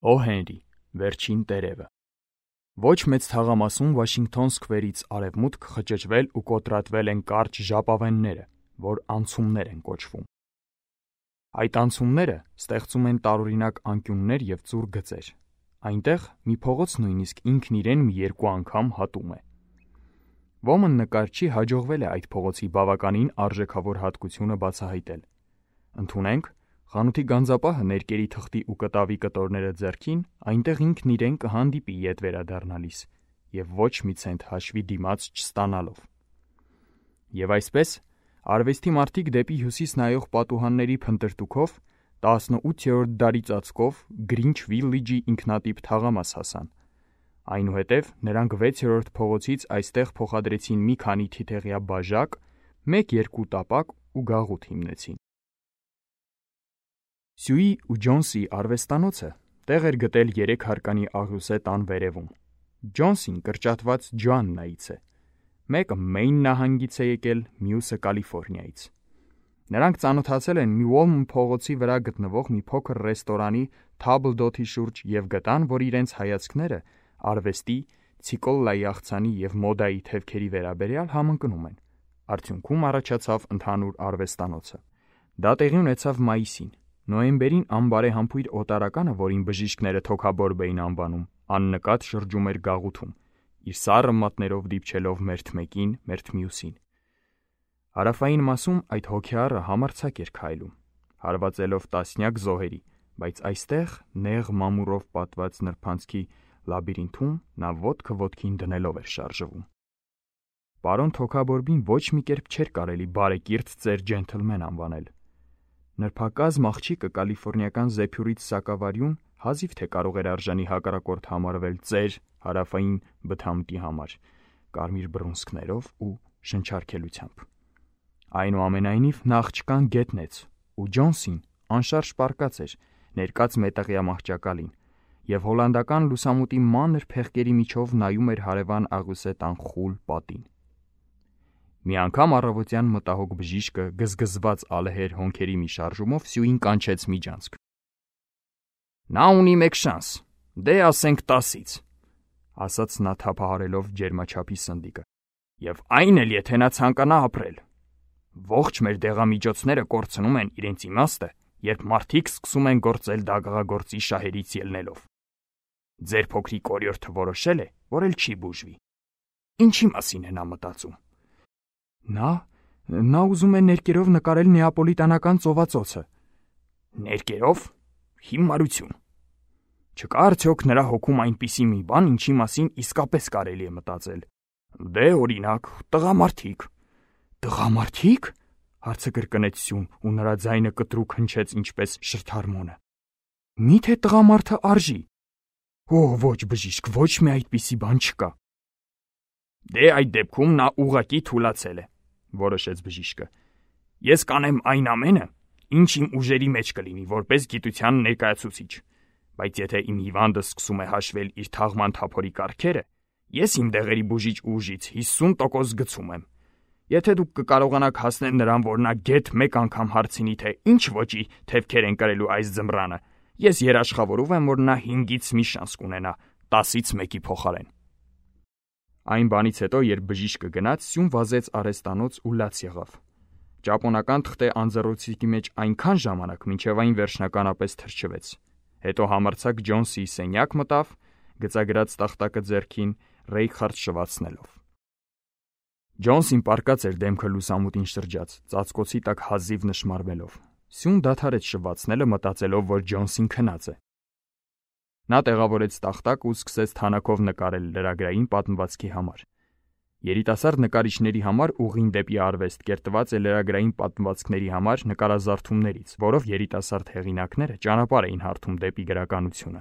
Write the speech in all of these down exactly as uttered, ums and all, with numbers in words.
Օ Հենրի, վերջին տերևը։ Ոչ մեծ թաղամասում Վաշինգթոն Սքվերից արևմուտք խճճվել ու կոտրատվել են կարճ ժապավենները, որ անցումներ են կոչվում։ Այդ անցումները ստեղծում են տարօրինակ անկյուններ և ծուռ գծեր։ Այնտեղ մի փողոց նույնիսկ ինքն իրեն մի երկու անգամ հատում է։ Ոմն նկարչի հաջողվել է այդ փողոցի բավականին արժեքավոր հատկությունը բացահայտել։ Ընդունենք, խանութի գանձապահը ներկերի թղթի ու կտավի կտորները ձեռքին, այնտեղ ինքն իրեն կհանդիպի ետ վերադառնալիս և ոչ մի ցենտ հաշվի դիմաց չստանալով։ Եվ այսպես, արվեստի մարդիկ դեպի հյուսիս նայող պատուհանների փնտրտուքով տասնութերորդ դարի ծածկով Գրինչ Վիլիջի ինքնատիպ թաղամաս հասան։ Այնուհետև նրանք վեցերորդ փողոցից այստեղ փոխադրեցին մի քանի թիթեղյա բաժակ, մեկ-երկու տապակ ու գաղութ հիմնեցին։ Սյուի ու Ջոնսի արվեստանոցը տեղ էր գտել երեք հարկանի աղյուսե տան վերևում։ Ջոնսին կրճատված Ջոաննայից է։ Մեկը Մեյն նահանգից է եկել, մյուսը Կալիֆոռնիայից։ Նրանք ծանոթացել են Միոլն փողոցի վրա գտնվող մի փոքր ռեստորանի թաբլդոթի շուրջ և գտան, որ իրենց հայացքները արվեստի, ցիկոլլայի աղցանի և մոդայի թևքերի վերաբերյալ համընկնում են։ Արդյունքում առաջացավ ընդհանուր արվեստանոցը։ Դա տեղի ունեցավ մայիսին։ Նոյեմբերին անբարեհամբույր օտարականը, որին բժիշկները թոքաբորբ էին անվանում, աննկատ շրջում էր գաղութում, իր սառը մատներով դիպչելով մերթ մեկին, մերթ մյուսին։ Հարավային մասում այդ հոգեառը համարձակ էր քայլում, հարվածելով տասնյակ զոհերի, բայց այստեղ, նեղ մամուռով պատված նրբանցքի լաբիրինթում, նա ոտքը ոտքին դնելով էր շարժվում։ Պարոն Թոքաբորբին ոչ մի կերպ չէր կարելի բարեկիրթ ծեր ջենթլմեն անվանել։ Նրբակազմ աղջիկը կալիֆոռնիական զեփյուրից սակավարյուն հազիվ թե կարող էր արժանի հակառակորդ համարվել ծեր հարավային բթամտի համար, կարմիր բռունցքներով ու շնչարգելությամբ։ Այնուամենայնիվ նա աղջկան գետնեց, ու Ջոնսին անշարժ պառկած էր, ներկած մետաղյա մահճակալին, և հոլանդական լուսամուտի մանր փեղկերի միջով նայում էր հարևան աղյուսե տան խուլ պատին։ Մի անգամ առավոտյան մտահոգ բժիշկը գզգզված ալեհեր հոնքերի մի շարժումով Սյուին կանչեց միջանցք։ «Նա ունի մեկ շանս, դե ասենք տասից», ասաց նա թափահարելով ջերմաչափի սնդիկը, «և այն էլ եթե նա ցանկանա ապրել։ Ողջ մեր դեղամիջոցները կորցնում են իրենց իմաստը, երբ մարդիկ սկսում են գործել դագաղագործի շահերից ելնելով։ Ձեր փոքրիկ օրիորդը որոշել է, որ էլ չի բուժվի։ Ինչի մասին է նա մտածում։ Նա… նա ուզում է ներկերով նկարել Նեապոլիտանական ծովածոցը։ Ներկերով… հիմարություն։ Չկա՞ արդյոք նրա հոգում այնպիսի մի բան, ինչի մասին իսկապես կարելի է մտածել։ Դե, օրինակ, տղամարդիկ։ Տղամարդի՞կ, հարցը կրկնեց Սյուն, ու նրա ձայնը կտրուկ հնչեց ինչպես շրթհարմոնը։ Մի՞թե տղամարդը արժի։ Օ, ոչ, բժիշկ, ոչ մի այդպիսի բան չկա։ Դե, այդ դեպքում նա ուղղակի թուլացել է, որոշեց բժիշկը։ Ես կանեմ այն ամենը, ինչ իմ ուժերի մեջ կլինի, որպես գիտության ներկայացուցիչ, բայց եթե իմ հիվանդը սկսում է հաշվել իր թաղման թափորի կարգերը, ես իմ դեղերի բուժիչ ուժից հիսուն տոկոս գցում եմ։ Եթե դուք կկարողանաք հասնել նրան, որ նա գեթ մեկ անգամ հարցնի, թե ինչ ոճի թևքեր են կրելու այս ձմռանը, ես երաշխավորում եմ, որ նա հինգից մի շանս կունենա տասից մեկի փոխարեն։ Այն բանից հետո, երբ բժիշկը գնաց, Սյուն վազեց արհեստանոց ու լաց եղավ։ Ճապոնական թղթե անձեռոցիկի մեջ այնքան ժամանակ, մինչև այն վերջնականապես թրջվեց։ Հետո համարձակ Ջոնսիի սենյակ մտավ, գծագրած տախտակը ձեռքին, ռեյքխարտ շվացնելով։ Ջոնսին պառկած էր դեմքը լուսամուտին շրջած, ծածկոցի տակ հազիվ նշմարվելով։ Սյուն դադարեց շվացնելը, մտածելով, որ Ջոնսին քնած է։ Նա տեղավորեց տախտակ ու սկսեց թանաքով նկարել լրագրային պատմվածքի համար։ Երիտասարդ նկարիչների համար ուղին դեպի արվեստ կերտված է լրագրային պատմվածքների համար նկարազարդումներից, որով երիտասարդ հեղինակները ճանապարհ էին հարթում դեպի գրականությունը։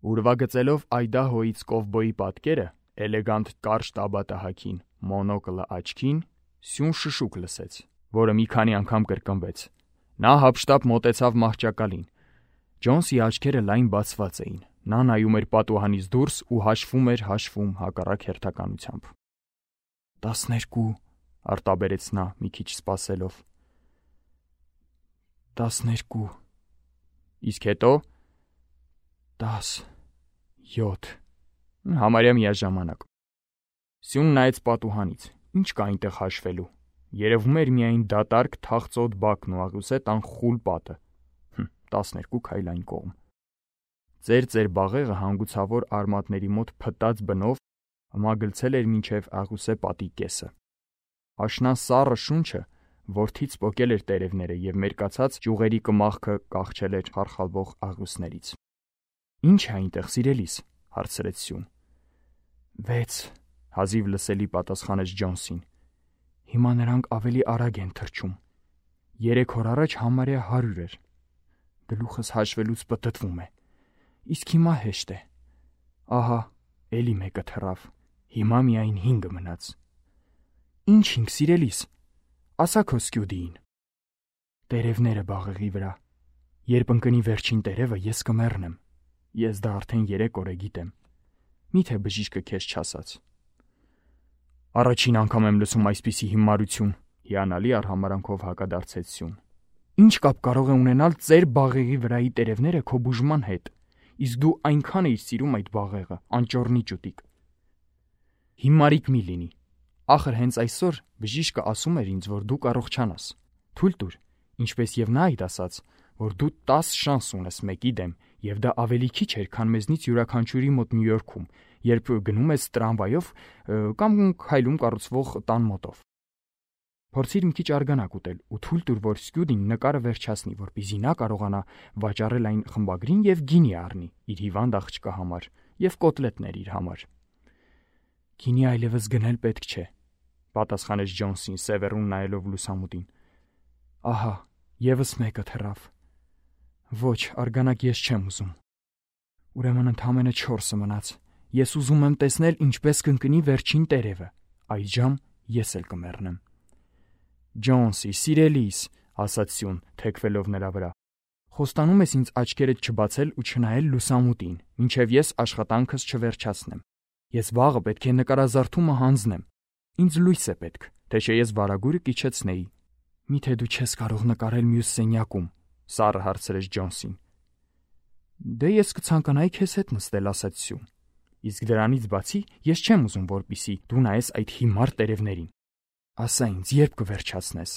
Ուրվագծելով Այդահոյից կովբոյի պատկերը, էլեգանտ կարճ տաբատահակին, մոնոկլը աչքին, Սյուն շշուկ լսեց, որը մի քանի անգամ կրկնվեց։ Նա հափշտապ մոտեցավ մահճակալին։ Ջոնսի աչքերը լայն բացված էին։ Նա նայում էր պատուհանից դուրս ու հաշվում էր հաշվում հակառակ հերթականությամբ։ Տասներկու, արտաբերեց նա, մի քիչ սպասելով։ Տասներկու։ Իսկ հետո… տաս, յոթ, համարյա միաժամանակ։ Սյուն նայեց պատուհանից, ինչ կա այնտեղ հաշվելու։ Երևում էր միայն դատարկ թախծոտ բակն ու աղյուսե տան խուլ պատը։ տասներկու քայլ այն կողմ։ Ծեր-ծեր բաղեղը հանգուցավոր արմատների մոտ փտած բնով մագլցել էր մինչև աղյուսե պատի կեսը։ Աշնան սառը շունչը որդից պոկել էր տերևները և մերկացած ճյուղերի կմախքը կախչել էր խարխալվող աղյուսներից։ Ինչ է այնտեղ, սիրելիս, հարցրեց Սյուն։ Վեց, հազիվ լսելի պատասխանեց Ջոնսին։ Հիմա նրանք ավելի արագ են թռչում։ Երեք օր առաջ համարյա հարյուր էր։ Գլուխս հաշվելուց պտտվում է։ Իսկ հիմա հեշտ է։ Ահա, էլի մեկը թռավ։ Հիմա միայն հինգը մնաց։ Ինչ հինգ, սիրելիս, ասա քո սկյուդիին։ Տերևները բաղեղի վրա։ Երբ ընկնի վերջին տերևը, ես կմեռնեմ։ Ես դա արդեն երեք օր է գիտեմ։ Միթե բժիշկը քեզ չասաց։ Առաջին անգամ եմ լսում այսպիսի հիմարություն, հիանալի արհամարանքով հակադարձեց Սյուն։ Ինչ կապ կարող է ունենալ ծեր բաղեղի վրայի տերևները քո բուժման հետ, իսկ դու այնքան էիր սիրում այդ բաղեղը, անճոռնի ճուտիկ։ Հիմարիկ մի լինի։ Ախր հենց այսօր բժիշկը ասում էր ինձ, որ դու կառողջանաս։ Թույլ տուր, ինչպես եւ նա այդ ասաց, որ դու տաս շանս ունես մեկի դեմ, եւ դա ավելի քիչ էր, քան մեզնից յուրաքանչյուրի մոտ Նյու Յորքում, երբ գնում ես տրամվայով կամ քայլում կառուցվող տան մոտով։ Փորձիր մի քիչ արգանակ ուտել ու թույլ տուր, որ սկյուդին նկարը վերջացնի, որպեսզի նա կարողանա վաճառել այն խմբագրին եւ գինի առնի իր հիվանդ աղջկա համար եւ կոտլետներ իր համար։ Գինի այլևս գնել պետք չէ, պատասխանեց Ջոնսին, սևեռուն նայելով լուսամուտին։ Ահա, եւս մեկը թռավ։ Ոչ, արգանակ ես չեմ ուզում։ Ուրեմն ընդամենը չորսը մնաց։ Ես ուզում եմ տեսնել, ինչպես կընկնի վերջին տերևը։ Այժմ ես էլ կմեռնեմ։ Ջոնսի, սիրելիս, ասաց Սյուն, թեքվելով նրա վրա։ Խոստանում ես ինձ աչքերդ չբացել ու չնայել լուսամուտին, մինչև ես աշխատանքս չվերջացնեմ։ Ես վաղը պետք է նկարազարդումը հանձնեմ։ Ինձ լույս է պետք, թե չէ ես վարագույրը կիչեցնեի։ Միթե դու չես կարող նկարել մյուս սենյակում, սառը հարցրեց Ջոնսին։ Դե ես կցանկանայի քեզ հետ նստել, ասաց Սյուն։ Իսկ դրանից բացի ես չեմ ուզում, որպիսի դու նայես այդ հիմար տերևներին։ Ասա ինձ, երբ կվերջացնես։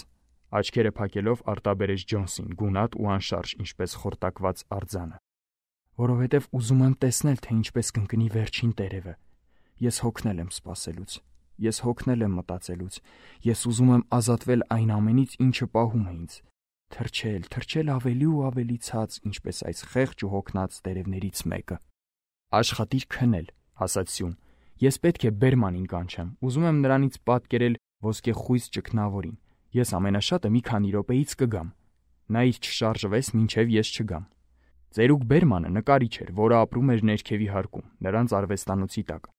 Աչքերը փակելով արտաբերեց Ջոնսին, գունատ ու անշարժ, ինչպես խորտակված արձանը։ Որովհետև ուզում եմ տեսնել, թե ինչպես կընկնի վերջին տերևը։ Ես հոգնել եմ սպասելուց։ Ես հոգնել եմ մտածելուց։ Ես ուզում եմ ազատվել այն ամենից, ինչը պահում է ինձ։ Թրջել, թրջել ավելի ու ավելի ցած, ինչպես այս խեղճ ու հոգնած տերևներից մեկը։ Աշխատիր քնել, ասաց Սյուն։ Ես պետք է Բերմանին կանչեմ։ Ուզում եմ նրանից պատկերել ոսկեխույս ճգնավորին։ Ես ամենաշատը մի քանի րոպեից կգամ։ Նա իր չշարժվես, մինչև ես չգամ։ Ծերուկ Բերմանը նկարիչ էր, որը ապրում էր ներքևի հարկում, նրանց արվեստանոցի տակ։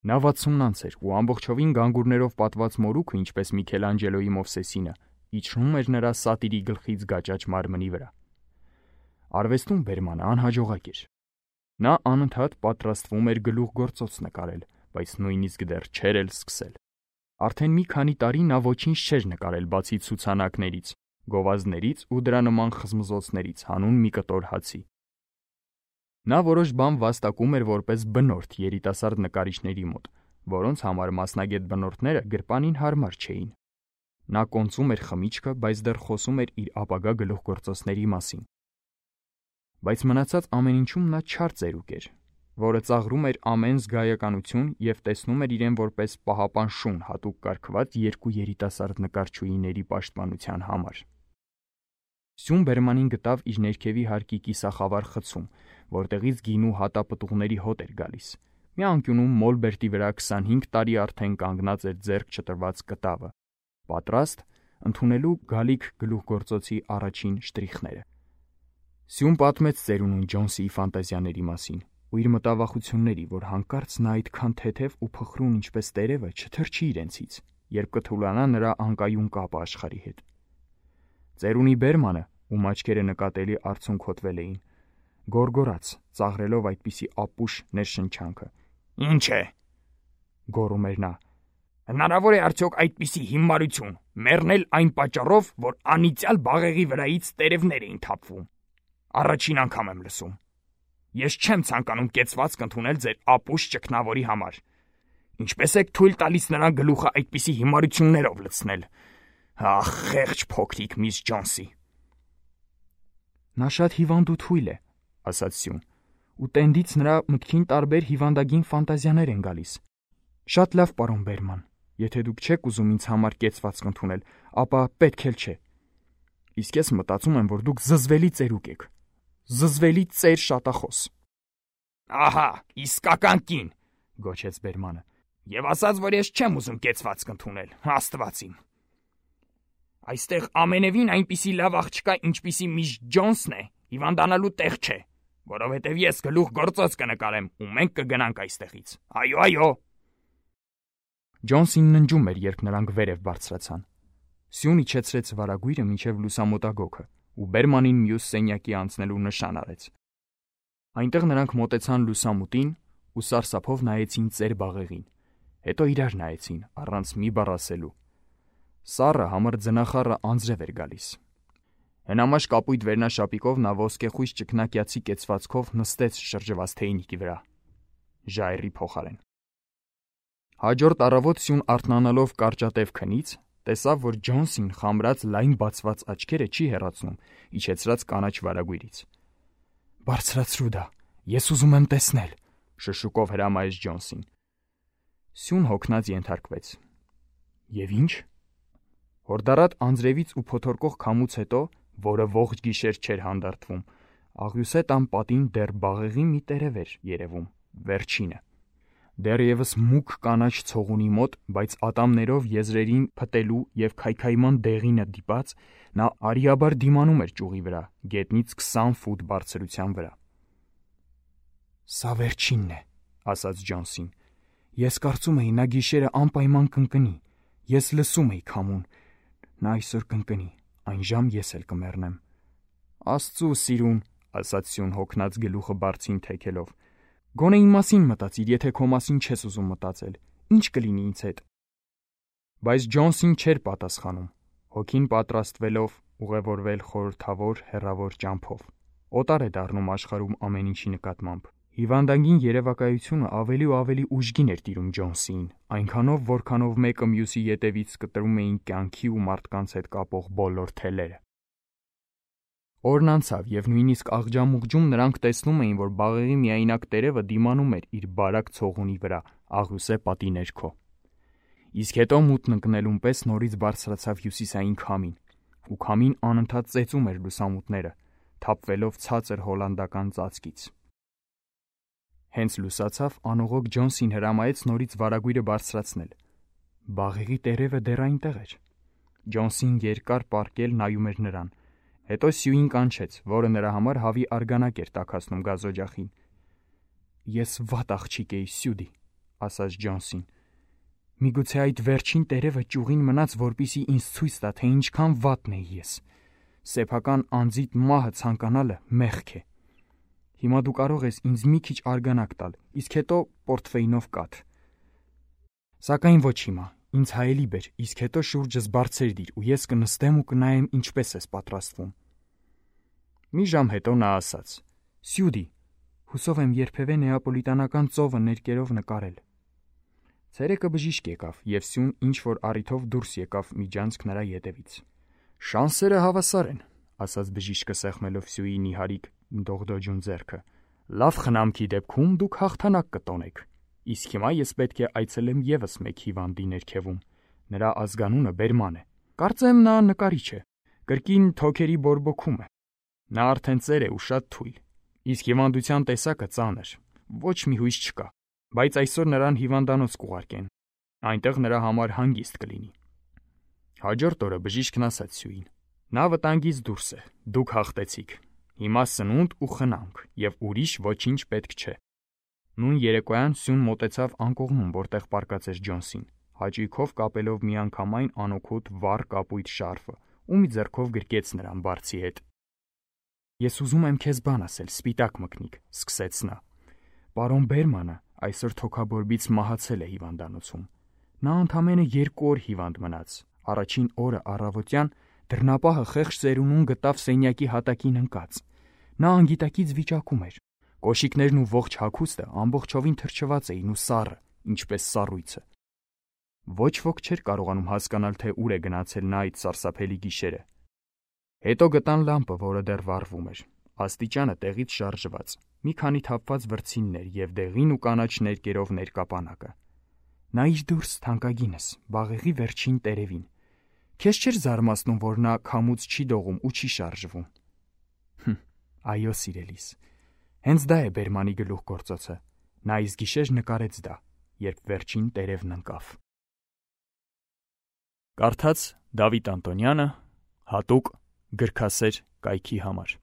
Նա վաթսունանց էր ու ամբողջովին գանգուրներով պատված մորուքը, ինչպես Միքելանջելոյի Մովսեսինը, իջնում էր նրա սատիրի գլխից գաճաճ մարմնի վրա։ Արվեստում Բերմանը անհաջողակ էր։ Նա անընդհատ պատրաստվում էր գլուխգործոց նկարել, բայց նույնիսկ դեռ չէր էլ սկսել։ Արդեն մի քանի տարի նա ոչինչ չէր նկարել, բացի ցուցանակներից, գովազդներից ու դրա նման խզմզոցներից, հանուն մի կտոր հացի։ Նա որոշ բան վաստակում էր որպես բնորդ երիտասարդ նկարիչների մոտ, որոնց համար մասնագետ բնորդները գրպանին հարմար չէին։ Նա կոնծում էր խմիչքը, բայց դեռ խոսում էր իր ապագա գլուխգործոցների մասին։ Բայց մնացած ամեն ինչում նա չար ծերուկ էր, որը ծաղրում էր ամեն զգայականություն և տեսնում էր իրեն որպես պահապան շուն հատուկ կարգված երկու երիտասարդ նկարչուհիների պաշտպանության համար։ Սյուն Բերմանին գտավ իր ներքևի հարկի կիսախավար խցում, որտեղից գինու հատապտուղների հոտ էր գալիս։ Մի անկյունում մոլբերտի վրա քսանհինգ տարի արդեն կանգնած էր ձեռք չտրված կտավը, պատրաստ ընդունելու գալիք գլուխգործոցի առաջին շտրիխները։ Սյուն պատմեց ծերունուն Ջոնսիի ֆանտազիաների մասին ու իր մտավախությունների, որ հանկարծ նա այդքան թեթև ու փխրուն ինչպես տերևը չթրջի իրենցից, երբ կթուլանա նրա անկայուն կապը աշխարհի հետ։ Ծերունի Բերմանը, ում աչքերը նկատելի արցունքոտվել էին, գոռգոռաց, ծաղրելով այդպիսի ապուշ ներշնչանքը։ Ինչ է, գոռում էր նա։ Հնարավոր է արդյոք այդպիսի հիմարություն մեռնել այն պատճառով, որ անիծյալ բաղեղի վրայից տերևներ էին թափվում։ Առաջին անգամ եմ լսում։ Ես չեմ ցանկանում կեցվածք ընդունել ձեր ապուշ ճգնավորի համար։ Ինչպես եք թույլ տալիս նրան գլուխը այդպիսի հիմարություններով լցնել։ Ախ, խեղճ փոքրիկ միս Ջոնսի։ Նա շատ հիվանդ ու թույլ է, ասաց Սյուն, ու տենդից նրա մտքին տարբեր հիվանդագին ֆանտազիաներ են գալիս։ Շատ լավ, պարոն Բերման, եթե դուք չեք ուզում ինձ համար կեցվածք ընդունել, ապա պետք էլ չէ։ Իսկ ես մտածում եմ, որ դուք զզվելի ծերուկ եք։ Զզվելի ծեր շատախոս։ Ահա, իսկական կին, գոչեց Բերմանը։ Եվ ասաց, որ ես չեմ ուզում կեցվածք ընդունել, Աստված իմ։ Այստեղ ամենևին այնպիսի լավ աղջկա, ինչպիսի միս Ջոնսն է, հիվանդանալու տեղ չէ, որովհետև ես գլուխ գործոց կնկարեմ ու մենք կգնանք այստեղից։ Այո, այո։ Ջոնսին ննջում էր, երբ նրանք վերև բարձրացան։ Սյուն իջեցրեց վարագույրը մինչև լուսամոտագոքը ու Բերմանին մյուս սենյակի անցնելու նշան արեց։ Այնտեղ նրանք մոտեցան լուսամուտին ու սարսափով նայեցին ծեր բաղեղին, հետո իրար նայեցին, առանց մի բառ ասելու։ Սառը համր ձնախառը անձրև էր գալիս։ Հնամաշ կապույտ վերնաշապիկով նա ոսկեխույս ճկնակյացի կեցվածքով նստեց շրջված թեյնիկի վրա, ժայռի փոխարեն։ Հաջորդ առավոտ Սյուն արթնանալով կարճատև քնից, տեսավ, որ Ջոնսին խամրած լայն բացված աչքերը չի հեռացնում իջեցրած կանաչ վարագույրից։ Բարձրացրու դա, ես ուզում եմ տեսնել, շշուկով հրամայեց Ջոնսին։ Սյուն հոգնած ենթարկվեց։ Եվ ինչ։ Հորդառատ անձրևից ու փոթորկող քամուց հետո, որը ողջ գիշեր չէր հանդարտվում, աղյուսե տան պատին դեռ բաղեղի մի տերև էր երևում, վերջինը։ Դեռևս մուգ կանաչ ցողունի մոտ, բայց ատամներով եզրերին փտելու եւ քայքայման դեղինը դիպած, նա արիաբար դիմանում էր ճյուղի վրա, գետնից քսան ֆուտ բարձրության վրա։ Սա վերջինն է, ասաց Ջոնսին։ Ես կարծում էի նա գիշերը անպայման կընկնի։ Ես լսում էի քամուն։ Նա այսօր կընկնի, այն ժամ ես էլ կմեռնեմ։ Աստծու սիրուն, ասաց Սյուն հոգնած գլուխը բարձին թեքելով։ Գոնե իմ մասին մտածիր, եթե քո մասին չես ուզում մտածել, ինչ կլինի ինձ հետ։ Բայց Ջոնսին չէր պատասխանում, հոգին պատրաստվելով ուղևորվել խորհրդավոր հեռավոր ճամփով։ Օտար է դառնում աշխարհում ամեն ինչի նկատմամբ։ Հիվանդագին երևակայությունը ավելի ու ավելի ուժգին էր տիրում Ջոնսին, այնքանով, որքանով մեկը մյուսի ետևից կտրում էին կյանքի ու մարդկանց հետ կապող բոլոր թելերը։ Օրն անցավ եւ նույնիսկ աղջամուղջում նրանք տեսնում էին, որ բաղեղի միայնակ տերևը դիմանում էր իր բարակ ցողունի վրա, աղյուսե պատի ներքո։ Իսկ հետո մութն ընկնելուն պես նորից բարձրացավ հյուսիսային քամին, ու քամին անընդհատ ծեծում էր լուսամուտները, թափվելով ցածր հոլանդական ծածկից։ Հենց լուսացավ, անողոք Ջոնսին հրամայեց նորից վարագույրը բարձրացնել։ Բաղեղի տերևը դեռ այնտեղ էր։ Ջոնսին երկար պառկել նայում էր նրան։ Հետո Սյուին կանչեց, որը նրա համար հավի արգանակ էր տաքացնում գազօջախին։ Ես վատ աղջիկ էի, Սյուդի, ասաց Ջոնսին։ Միգուցե այդ վերջին տերևը ճյուղին մնաց, որպիսի ինձ ցույց տա, թե ինչքան վատն էի ես։ Սեփական անձիդ մահը ցանկանալը մեղք է։ Հիմա դու կարող ես ինձ մի քիչ արգանակ տալ, իսկ հետո պորտֆեյնով կաթ։ Սակայն ոչ հիմա, ինձ հայելի բեր, իսկ հետո շուրջս բարձր դիր ու ես կնստեմ ու կնայեմ ինչպես ես պատրաստվում։ Մի ժամ հետո նա ասաց. Սյուդի, հուսով եմ երբևէ նեապոլիտանական ծովը ներկերով նկարել։ Ցերեկը բժիշկ եկավ եւ Սյուն ինչ որ առիթով դուրս եկավ միջանցք նրա ետևից։ Շանսերը հավասար են, ասաց բժիշկը սեղմելով Սյուի նիհարիկ դողդոջուն ձեռքը։ Լավ խնամքի դեպքում դուք հաղթանակ կտոնեք։ Իսկ հիմա ես պետք է այցելեմ եւս մեկ հիվանդի ներքևում։ Նրա ազգանունը Բերման է։ Կարծեմ նա նկարիչ է։ Կրկին թոքերի բորբոքում է։ Նա արդեն ծեր է ու շատ թույլ։ Իսկ հիվանդության տեսակը ծանր։ Ոչ մի հույս չկա։ Բայց այսօր նրան հիվանդանոց կուղարկեն։ Այնտեղ նրա համար հանգիստ կլինի։ Հաջորդ օրը բժիշկն ասաց Սյուին. Նա վտանգից դուրս է։ Դուք հաղթեցիք։ Հիմա սնունդ ու խնամք, եւ ուրիշ ոչինչ պետք չէ։ Նույն երեկոյան Սյուն մոտեցավ անկողնում, որտեղ պառկած էր Ջոնսին, հաճույքով կապելով միանգամայն անօգուտ վառ կապույտ շարֆը, ու մի ձեռքով գրկեց նրան բարձի հետ։ Ես ուզում եմ քեզ բան ասել, սպիտակ մկնիկ, սկսեց նա։ Պարոն Բերմանը այսօր թոքաբորբից մահացել է հիվանդանոցում։ Նա ընդամենը երկու օր հիվանդ մնաց։ Առաջին օրը առավոտյան դռնապահը խեղճ ծերունուն գտավ սենյակի հատակին ընկած։ Նա անգիտակից վիճակում էր։ Կոշիկներն ու ողջ հագուստը ամբողջովին թրջված էին ու սառը, ինչպես սառույցը։ Ոչ ոք չէր կարողանում հասկանալ, թե ուր է գնացել նա այդ սարսափելի գիշերը։ Հետո գտան լամպը, որը դեռ վառվում էր, աստիճանը տեղից շարժված, մի քանի թափված վրձիններ և դեղին ու կանաչ ներկերով ներկապանակը։ Նայիր դուրս, թանկագինս, բաղեղի վերջին տերևին։ Քեզ չէր զարմացնում, որ նա քամուց չի դողում ու չի շարժվում։ Հմ, այո, սիրելիս, հենց դա է բերմանի գլուխգործոցը։ Նա այս գիշեր նկարեց դա, երբ վերջին տերևն ընկավ։ Կարդաց Դավիթ Անտոնյանը, հատուկ գրքասեր կայքի համար։